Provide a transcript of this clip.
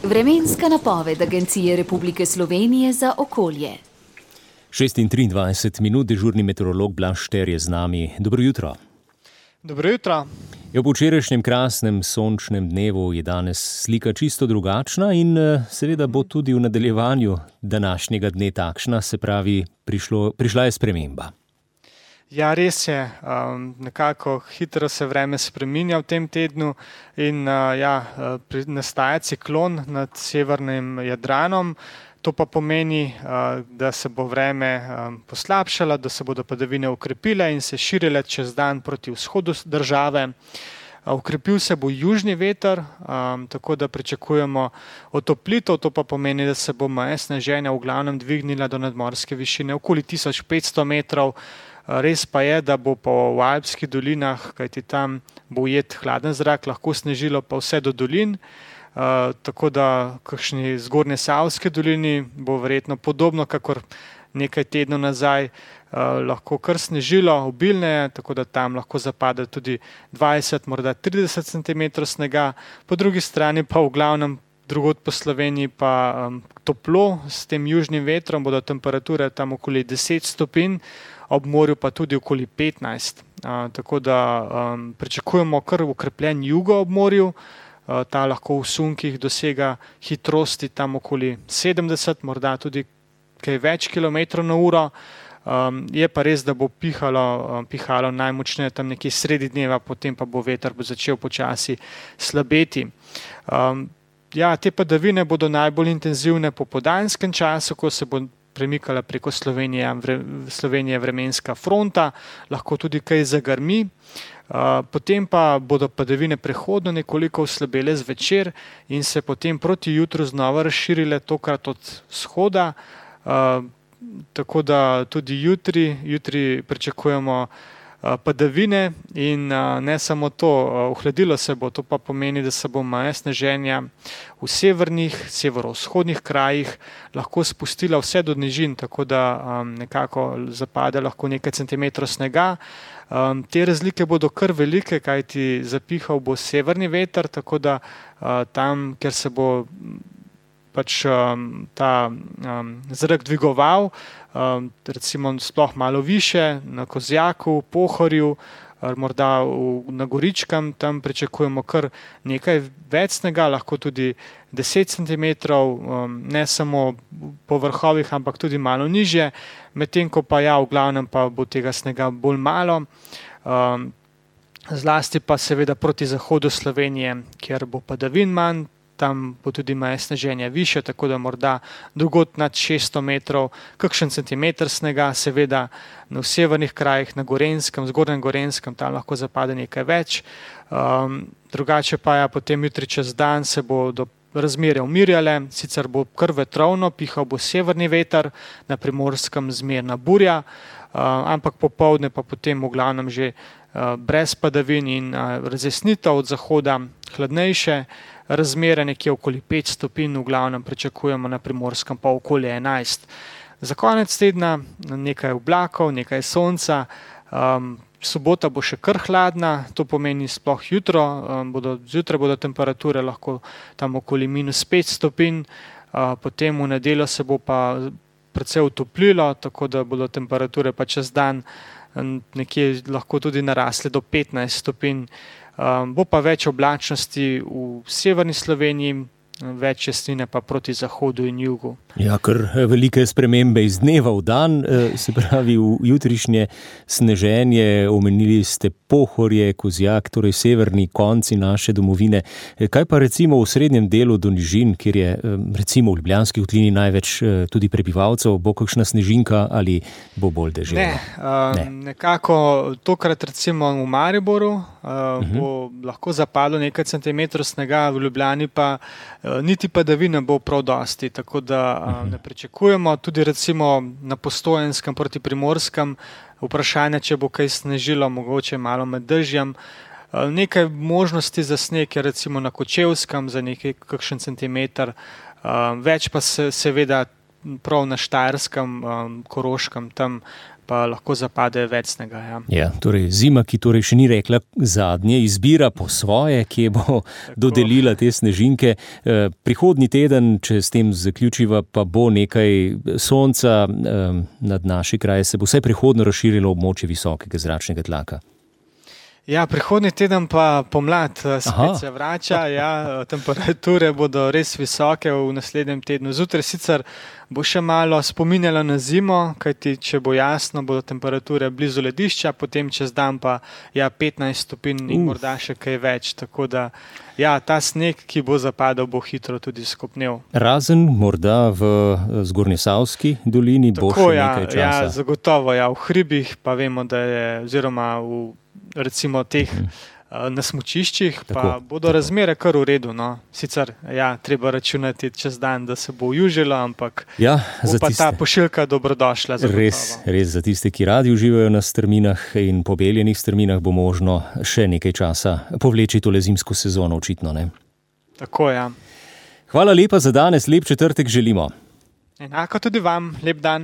Vremenska napoved Agencije Republike Slovenije za okolje. 6:23, dežurni meteorolog Blaž Šter je z nami. Dobro jutro. Dobro jutro. Po včerajšnjem krasnem sončnem dnevu je danes slika čisto drugačna in seveda bo tudi v nadaljevanju današnjega dne takšna, se pravi, prišla je sprememba. Ja, res je. Nekako hitro se vreme spreminja v tem tednu in nastaja ciklon nad severnim Jadranom. To pa pomeni, da se bo vreme poslabšalo, da se bodo padavine okrepile in se širile čez dan proti vzhodu države. Okrepil se bo južni veter, tako da pričakujemo otoplitev, to pa pomeni, da se bo meja sneženja v glavnem dvignila do nadmorske višine okoli 1500 metrov. Res pa je, da bo po Alpskih dolinah, kajti tam bo ujet hladen zrak, lahko snežilo pa vse do dolin. Tako da kakšni zgornje Savske dolini bo verjetno podobno, kakor nekaj tednov nazaj, lahko kar snežilo, obilneje, tako da tam lahko zapade tudi 20, morda 30 cm snega. Po drugi strani pa v glavnem drugod po Sloveniji pa toplo, s tem južnim vetrom bodo temperature tam okoli 10 stopinj, ob morju pa tudi okoli 15. Tako da pričakujemo kar ukrepljen jugo ob morju. Ta lahko v sunkih dosega hitrosti tam okoli 70, morda tudi kaj več kilometrov na uro. Je pa res, da bo pihalo najmočneje tam nekje sredi dneva, potem pa bo veter začel počasi slabeti. Te padavine bodo najbolj intenzivne po popoldanskem času, ko se bo premikala preko Slovenije vremenska fronta, lahko tudi kaj zagrmi. Potem pa bodo padavine prehodno nekoliko oslabele zvečer in se potem proti jutru znova razširile, tokrat od vzhoda. Tako da tudi jutri pričakujemo padavine in ne samo to, ohladilo se bo, to pa pomeni, da se bo meja sneženja v severovzhodnih krajih lahko spustila vse do nižin, tako da nekako zapade lahko nekaj centimetrov snega. Te razlike bodo kar velike, kajti zapihal bo severni veter, tako da tam, kjer se bo ta zrak dvigoval, recimo sploh malo više, na Kozjaku, Pohorju, morda na Goričkem, tam pričakujemo kar nekaj več snega, lahko tudi 10 cm, ne samo po vrhovih, ampak tudi malo nižje, medtem ko pa v glavnem pa bo tega snega bolj malo. Zlasti pa seveda proti zahodu Slovenije, kjer bo padavin manj, tam bo tudi meja sneženja višja, tako da morda drugod nad 600 metrov, kakšen centimeter snega, seveda v severnih krajih, na Gorenjskem, zgornjem Gorenjskem, tam lahko zapade nekaj več. Drugače pa potem jutri čez dan se bodo razmere umirjale, sicer bo kar vetrovno, pihal bo severni veter, na Primorskem zmerna burja, ampak popoldne pa potem v glavnem že brez padavin in razjasnitev od zahoda, hladnejše razmere, nekje okoli 5 stopinj, v glavnem pričakujemo na Primorskem pa okoli 11. Za konec tedna nekaj oblakov, nekaj sonca, sobota bo še kar hladna, to pomeni sploh zjutraj bodo temperature lahko tam okoli -5 stopinj, potem v nedeljo se bo pa precej utoplilo, tako da bodo temperature pa čez dan nekje lahko tudi narasle do 15 stopinj. Bo pa več oblačnosti v severni Sloveniji, več jasnine pa proti zahodu in jugu. Ja, kar velike spremembe iz dneva v dan, se pravi v jutrišnje sneženje, omenili ste Pohorje, Kozjak, torej severni konci naše domovine. Kaj pa recimo v srednjem delu do nižin, kjer je recimo v Ljubljanski kotlini največ tudi prebivalcev, bo kakšna snežinka ali bo bolj deževno? Ne, nekako tokrat recimo v Mariboru bo lahko zapadlo nekaj centimetrov snega, v Ljubljani pa niti padavine bo prav dosti, tako da ne pričakujemo. Tudi recimo na Postojenskem proti Primorskem vprašanje, če bo kaj snežilo, mogoče malo med dežjem. Nekaj možnosti za sneg je recimo na Kočevskem za kakšen centimeter, več pa seveda prav na Štajerskem, Koroškem, tam pa lahko zapade več snega. Ja. Ja, torej zima, ki torej še ni rekla zadnje, izbira po svoje, kje bo dodelila te snežinke. Prihodnji teden, če s tem zaključiva, pa bo nekaj sonca nad naši kraje, se bo vse prihodno razširilo območje visokega zračnega tlaka. Ja, prihodnji teden pa pomlad spet se vrača, temperature bodo res visoke v naslednjem tednu. Zjutraj sicer bo še malo spominjalo na zimo, kajti če bo jasno, bodo temperature blizu ledišča, potem čez dan pa 15 stopinj in morda še kaj več. Tako da ta sneg, ki bo zapadal, bo hitro tudi skopnel. Razen morda v Zgornjesavski dolini bo še nekaj časa. Ja, zagotovo, v hribih pa vemo, da je, oziroma v recimo teh na smučiščih, pa bodo razmere kar v redu. No. Sicer, treba računati čez dan, da se bo ujužilo, ampak bo pa ta pošiljka dobrodošla. Res za tiste, ki radi uživajo na strminah in pobeljenih strminah, bo možno še nekaj časa povleči tole zimsko sezono, očitno, ne? Tako, Hvala lepa za danes, lep četrtek želimo. Enako tudi vam, lep dan.